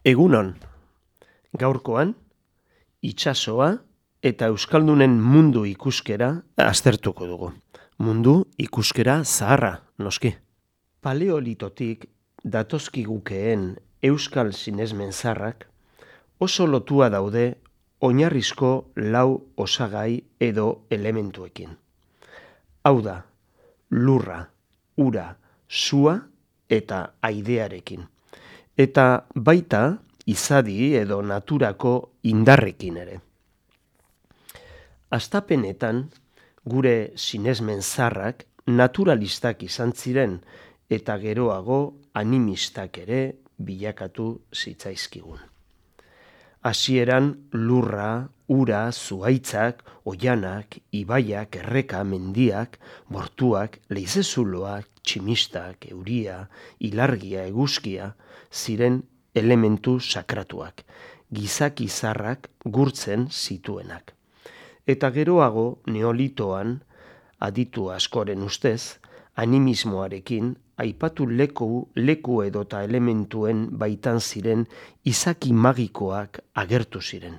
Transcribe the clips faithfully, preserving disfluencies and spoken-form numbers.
Egunon, gaurkoan, itsasoa eta euskaldunen mundu ikuskera aztertuko dugu. Mundu ikuskera zaharra, noski. Paleolitotik datozkigukeen euskal sinesmen zaharrak oso lotua daude oinarrizko lau osagai edo elementuekin. Hau da, lurra, ura, sua eta aidearekin. Eta baita izadi edo naturako indarrekin ere. Hastapenetan gure sinesmen zaharrak naturalistak izan ziren eta geroago animistak ere bilakatu zitzaizkigun. Hasieran lurra, ura, zuhaitzak, oianak, ibaiak, erreka, mendiak, bortuak, leizezuloak, tximistak, euria, ilargia, eguzkia, ziren elementu sakratuak, gizaki zaharrak gurtzen zituenak. Eta geroago neolitoan, aditu askoren ustez, animismoarekin aipatu leku, leku edota elementuen baitan ziren izaki magikoak agertu ziren.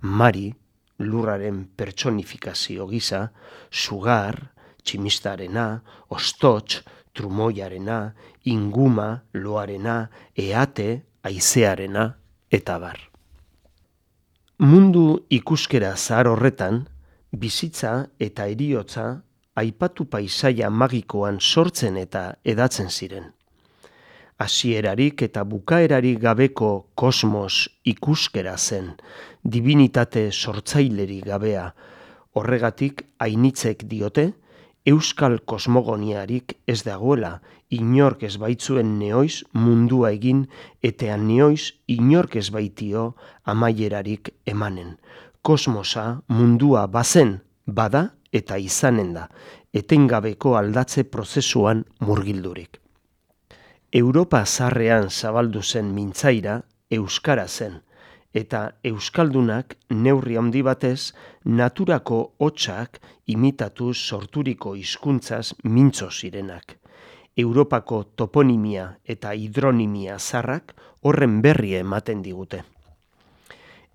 Mari, lurraren pertsonifikazio gisa, sugar, tximistarena, ostots, trumoiarena, inguma, loarena, eate, haizearena, eta bar. Mundu ikuskera zahar horretan, bizitza eta heriotza aipatu paisaia magikoan sortzen eta edatzen ziren. Hasierarik eta bukaerarik gabeko kosmos ikuskera zen, divinitate sortzailerik gabea. Horregatik ainitzek diote, euskal kosmogoniarik ez dagoela, inork ez baitzuen neoiz mundua egin, eta neoiz inork ez baitio amaierarik emanen. Kosmosa mundua bazen, bada eta izanen da, etengabeko aldatze prozesuan murgildurik. Europa zaharrean zabaldu zen mintzaira euskara zen, eta euskaldunak neurri handi batez naturako hotsak imitatu sorturiko hizkuntzaz mintzo zirenak. Europako toponimia eta hidronimia zaharrak horren berri ematen digute.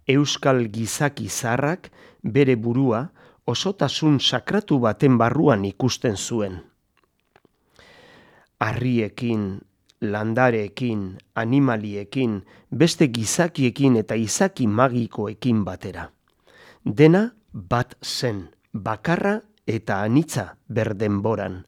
Euskal gizaki zaharrak bere burua osotasun sakratu baten barruan ikusten zuen. Harriekin, landareekin, animaliekin, beste gizakiekin eta izaki magikoekin batera. Dena bat zen, bakarra eta anitza berdenboran.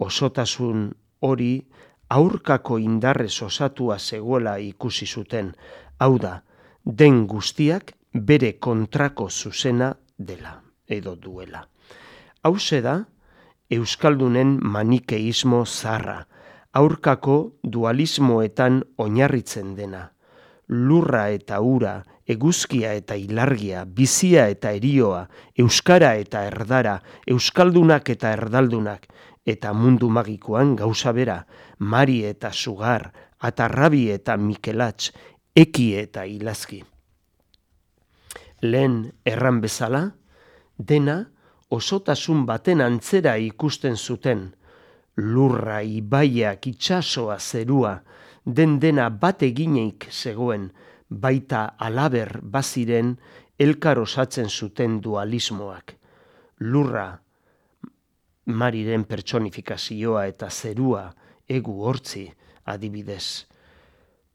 Osotasun hori aurkako indarrez osatua zegoela ikusi zuten, hau da, den guztiak bere kontrako zuzena dela, edo duela. Hauxe da, euskaldunen manikeismo zaharra, aurkako dualismoetan oinarritzen dena. Lurra eta ura, eguzkia eta ilargia, bizia eta erioa, euskara eta erdara, euskaldunak eta erdaldunak, eta mundu magikoan gauza bera, mari eta sugar, atarrabi eta mikelatx, eki eta ilazki. Lehen erran bezala, dena osotasun baten antzera ikusten zuten, lurra, ibaiak, itsasoa, zerua, den dena bat egineik zegoen, baita alaber baziren elkar osatzen zuten dualismoak. Lurra, mariren pertsonifikazioa eta zerua, egu hortzi, adibidez.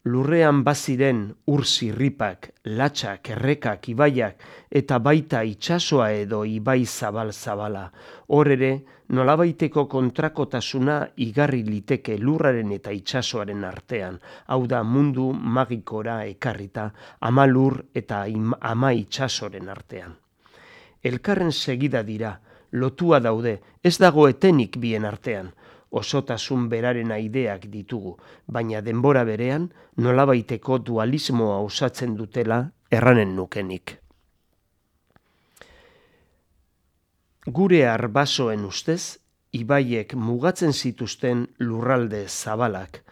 Lurrean baziren ur zirripak, latxak, errekak, ibaiak, eta baita itsasoa edo ibai zabal-zabala. Hor ere, nolabaiteko kontrakotasuna igarri liteke lurraren eta itsasoaren artean. Hau da mundu magikora ekarrita, ama lur eta ama itsasoren artean. Elkarren segida dira, lotua daude, ez dago etenik bien artean. Osotasun beraren aideak ditugu, baina denbora berean nolabaiteko dualismoa osatzen dutela erranen nukenik. Gure arbasoen ustez, ibaiek mugatzen zituzten lurralde zabalak.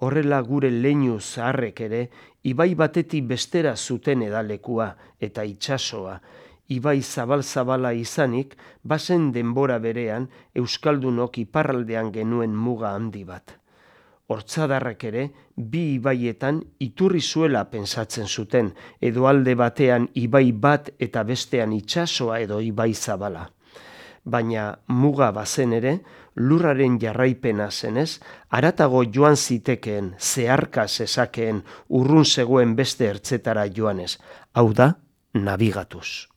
Horrela gure leinu zaharrek ere, ibai batetik bestera zuten edalekua eta itsasoa. Ibai zabal-zabala izanik, bazen denbora berean Euskaldunok iparraldean genuen muga handi bat. hortzadarrak ere bi ibaietan iturri zuela pentsatzen zuten, edo alde batean ibai bat eta bestean itsasoa edo ibai zabala. Baina muga bazen ere, lurraren jarraipena zenez, haratago joan zitekeen, zeharka zezakeen, urrun zegoen beste ertzetara joanez, hau da, nabigatuz.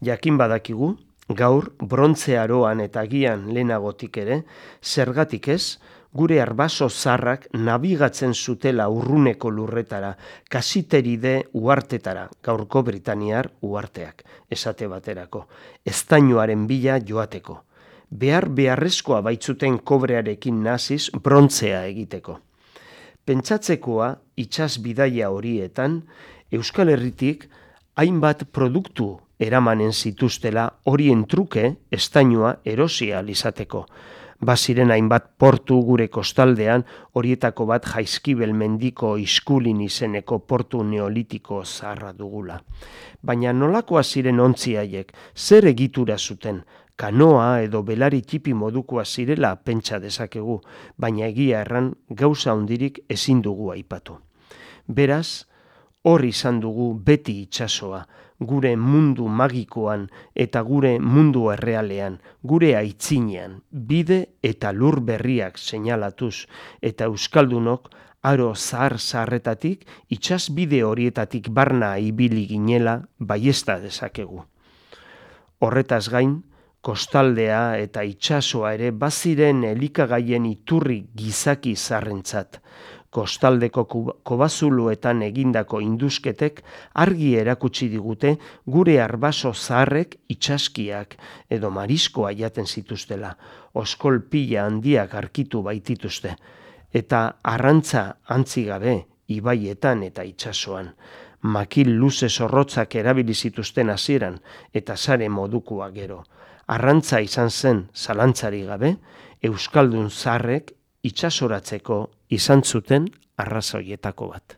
Jakin badakigu, gaur, brontze aroan eta agian lehenagotik ere, zergatik ez, gure arbaso zarrak nabigatzen zutela urruneko lurretara, kasiteride uhartetara, gaurko Britaniar uharteak, esate baterako, eztainoaren bila joateko. Behar beharrezkoa baitzuten kobrearekin naziz brontzea egiteko. Pentsatzekoa itsas bidaia horietan, Euskal Herritik hainbat produktu eramanen zituztela horien truke estainua erosia izateko. Baziren hainbat portu gure kostaldean, horietako bat Jaizkibel mendiko Iskulin izeneko portu neolitiko zaharra dugula. Baina nolakoa ziren ontzi haiek, zer egitura zuten, kanoa edo belari txipi modukoa zirela pentsa dezakegu, baina egia erran gauza hondirik ezin dugu aipatu. Beraz, hor izan dugu beti itsasoa, gure mundu magikoan eta gure mundu errealean, gure aitzinean, bide eta lur berriak seinalatuz, eta euskaldunok aro zahar-zaharretatik itsas bide horietatik barna ibili ginela baiezta dezakegu. Horretaz gain, kostaldea eta itsasoa ere baziren elikagaien iturri gizaki zarrentzat. Kostaldeko kobazuluetan egindako indusketek argi erakutsi digute gure arbaso zaharrek itsaskiak edo mariskoa jaten zituztela, oskol pila handiak arkitu baitituzte, eta arrantza antzigabe ibaietan eta itsasoan. Makil luze zorrotzak erabili zituzten hasieran eta sare modukoa gero. Arrantza izan zen zalantzari gabe, euskaldun zaharrek itsasoratzeko izan zuten arrazoietako bat.